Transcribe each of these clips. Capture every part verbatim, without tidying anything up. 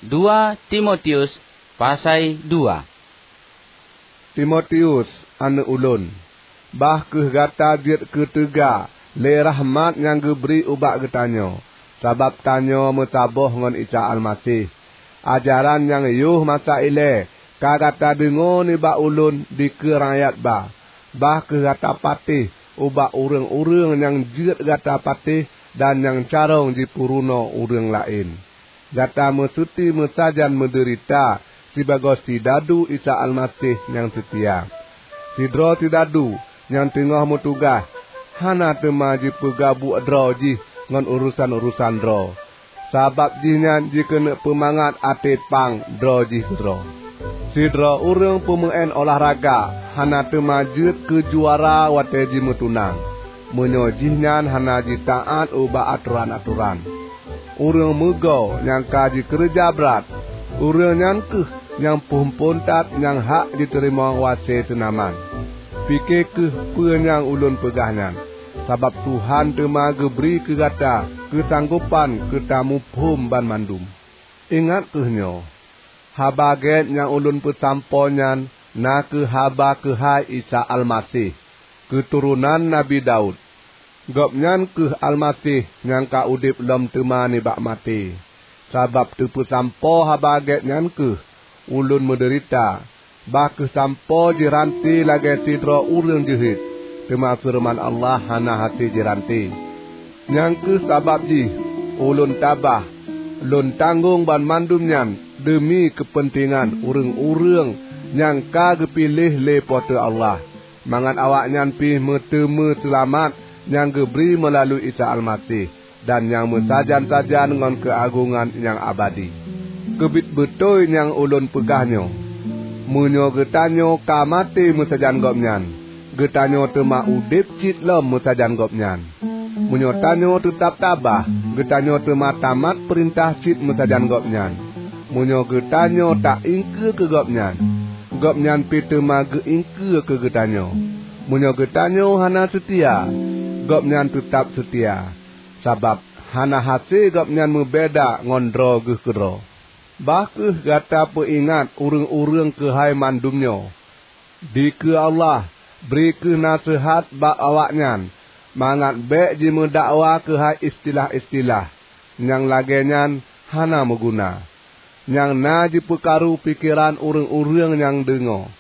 Dua Timotius pasai dua. Timotius, aneuëk ulôn, bah kheueh gata jeuet keu teuga lé rahmat nyang geubri ubak geutanyoe, sabab tanyoe meusaboh ngon Isa Almaseh. Ajaran nyang yoh masa ilée ka gata deungoe nibak ulôn dikeue rakyat ba. Bah kheueh gata patéh ubak ureuëng-ureuëng nyang jeuet gata patéh dan nyang carông jipeurunoe ureuëng laén. Gata meuseuti meusajan meudeurita sibagoe sidadu Isa Almaseh nyang seutia. Sidroe sidadu nyang teungoh meutugaih hana teuma jipeugabuek droe jih ngon urosan-urosan droe, sabab jihnyan jikeuneuk peumangat até pang droe jih keudroe. Sidroe ureuëng peumeuén olahraga hana teuma jeuet keu juara watée jimeutunang, meunyoe jihnyan hana jitaát ubak atoran-atoran. Ureuëng meugoe nyang ka jikeureuja brat, ureuëng nyan kheueh nyang phon-phon that nyang hak jiteurimong wase seunaman. Pike kheueh peue nyang ulôn peugah nyan, sabab Tuhan teuma geubri keu gata keusanggopan keu tamuphom banmandum. Ingat kheueh nyoe, Haba Gét nyang ulôn peusampoe nyan na kheueh haba keuhai Isa Almaseh, keuturonan Nabi Daud. Gobnyan kheueh Almaseh nyang ka udeb lom teuma nibak maté. Sabab teupeusampoe Haba Gét nyan kheueh ulôn meudeurita, bah kheueh sampoe jiranté lagée sidroe ureuëng jeuhet, teuma feureuman Allah hana hase jiranté. Nyang kheueh sabab jih ulôn tabah, lôn tanggong banmandum nyan deumi keupeuntengan ureuëng-ureuëng nyang ka geupiléh lé Po teu Allah, mangat awaknyan pih meuteumé seulamat nyang geubri meulalu Isa Almaseh dan nyang meusajan-sajan ngon keuagongan nyang abadi. Keubiet beutôi nyang ulôn peugah nyoe, meunyoe geutanyoe ka maté meusajan Gobnyan, geutanyoe teuma udeb cit lom meusajan Gobnyan. Meunyoe tanyoe teutab tabah, geutanyoe teuma tamat peurintah cit meusajan Gobnyan. Meunyoe geutanyoe ta-iengkeue keu Gobnyan, Gobnyan pih teuma geu-iengkeue keu geutanyoe. Meunyoe geutanyoe hana seutia, Gobnyan teutab seutia, sabab hana hase Gobnyan meubeda ngon droe geuh keudroe. Bah kheueh gata peuingat ureuëng-ureuëng keuhai mandum nyoe. Dikeue Allah, bri kheueh naseuhat bak awaknyan, mangat bék jimeudakwa keuhai istilah-istilah nyang lagée nyan hana meuguna, nyang na jipeukaru pikeran ureuëng-ureuëng nyang deungoe.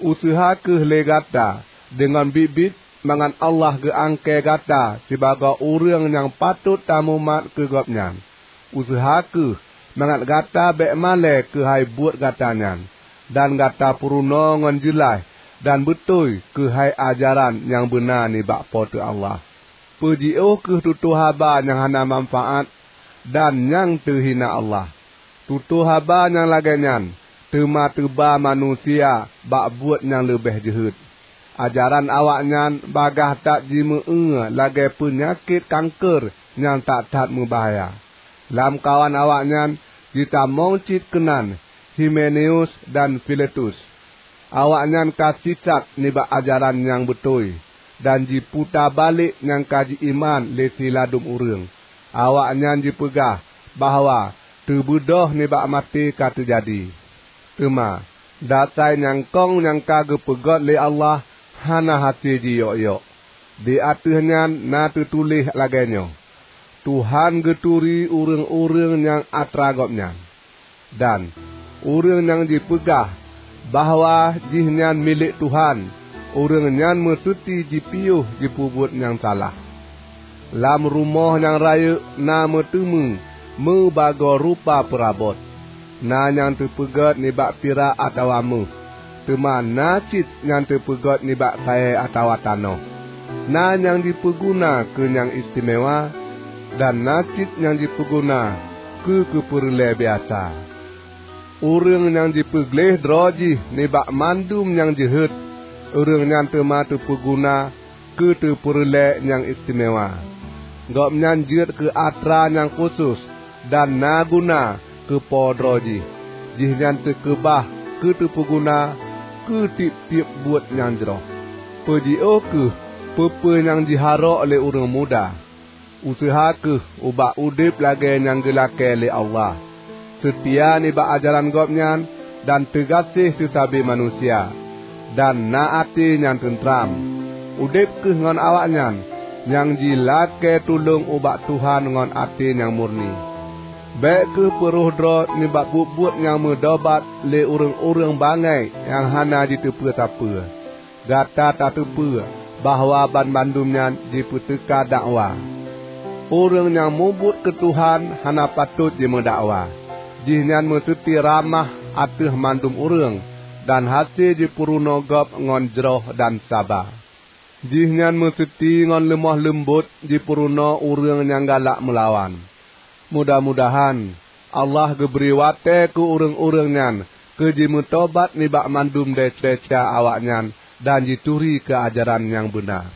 Useuha kheueh lé gata deungon biet-biet mangat Allah geuangkée gata sibagoe ureuëng nyang patot tamumat keu Gobnyan. Useuha kheueh mangat gata bék malée keuhai buet gata nyan, dan gata peurunoe ngon jeulaih dan beutôi keuhai ajaran nyang beuna nibak Po teu Allah. Peujiôh kheueh tutoe haba nyang hana manfaát dan nyang teuhina Allah. Tutoe haba nyang lagée nyan teuma teuba manusia bak buet nyang leubeh jeuhet. Ajaran awaknyan bagaih that jimeu-eu lagée peunyakét kanker nyang that-that meubahya. Lamkawan awaknyan jitamong cit keunan Himeneus dan Filetus. Awaknyan ka sisat nibak ajaran nyang beutôi, dan jiputa balek nyang ka jiiman lé siladum ureuëng. Awaknyan jipeugah bahwa teubeudôh nibak maté ka teujadi. Teuma, dasai nyang kong nyang ka geupeugét lé Allah hana hase jiyok-yok. Di ateueh nyan na teutuléh lagée nyoe, "Tuhan geuturi ureuëng-ureuëng nyang atra Gobnyan." Dan, "Ureuëng nyang jipeugah bahwa jihnyan milék Tuhan, ureuëng nyan meuseuti jipiôh jipeubuet nyang salah." Lam rumoh nyang rayeuk na meuteumé meubagoe rupa peurabot. Na nyang teupeugét nibak pirak atawa méuh, teuma na cit nyang teupeugét nibak kayée atawa tanoh. Na nyang jipeuguna keu nyang istimewa, dan na cit nyang jipeuguna keu keupeureulée biasa. Ureuëng nyang jipeugleh droe jih nibak mandum nyang jeuhet, ureuëng nyan teuma teupeuguna keu teupeureulée nyang istimewa. Gobnyan jeuet keu atra nyang khusos dan na guna keu po droe jih. Jihnyan teukeubah keu teupeuguna keu tieb-tieb buet nyang jroh. Peujiôh kheueh peue-peue nyang jiharok lé ureuëng muda. Useuha kheueh ubak udeb lagée nyang geulakée lé Allah. seutia nibak ajaran Gobnyan, dan teugaséh seusabe manusia, dan na até nyang teutram. Udeb kheueh ngon awaknyan, nyang jilakée tulông ubak Tuhan ngon até nyang murni. Bék kheueh peuroh droe nibak buet-buet nyang meudobat lé ureuëng-ureuëng bangai nyang hana jiteupeue sapeue. Gata tateupeue bahwa banmandum nyan jipeuteuka dakwa. Ureuëng nyang mubuet keu Tuhan hana patot jimeudakwa. Jihnyan meuseuti ramah ateueh mandum ureuëng, dan hase jipeurunoe gob ngon jroh dan saba. Jihnyan meuseuti ngon leumoh leumbot jipeurunoe ureuëng nyang galak meulawan. Mudah-mudahan Allah geubri watée keu ureuëng-ureuëng nyan keu jimeutobat nibak mandum desya-desya awaknyan dan jituri keu ajaran nyang beuna.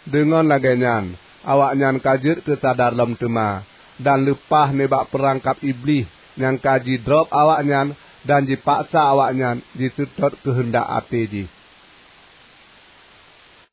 Deungon lagée nyan, awaknyan ka jeuet keu sadar lom teuma, dan leupah nibak peurangkab Iblih nyang ka jidrob awaknyan dan jipaksa awaknyan jiseutôt keuheundak até jih.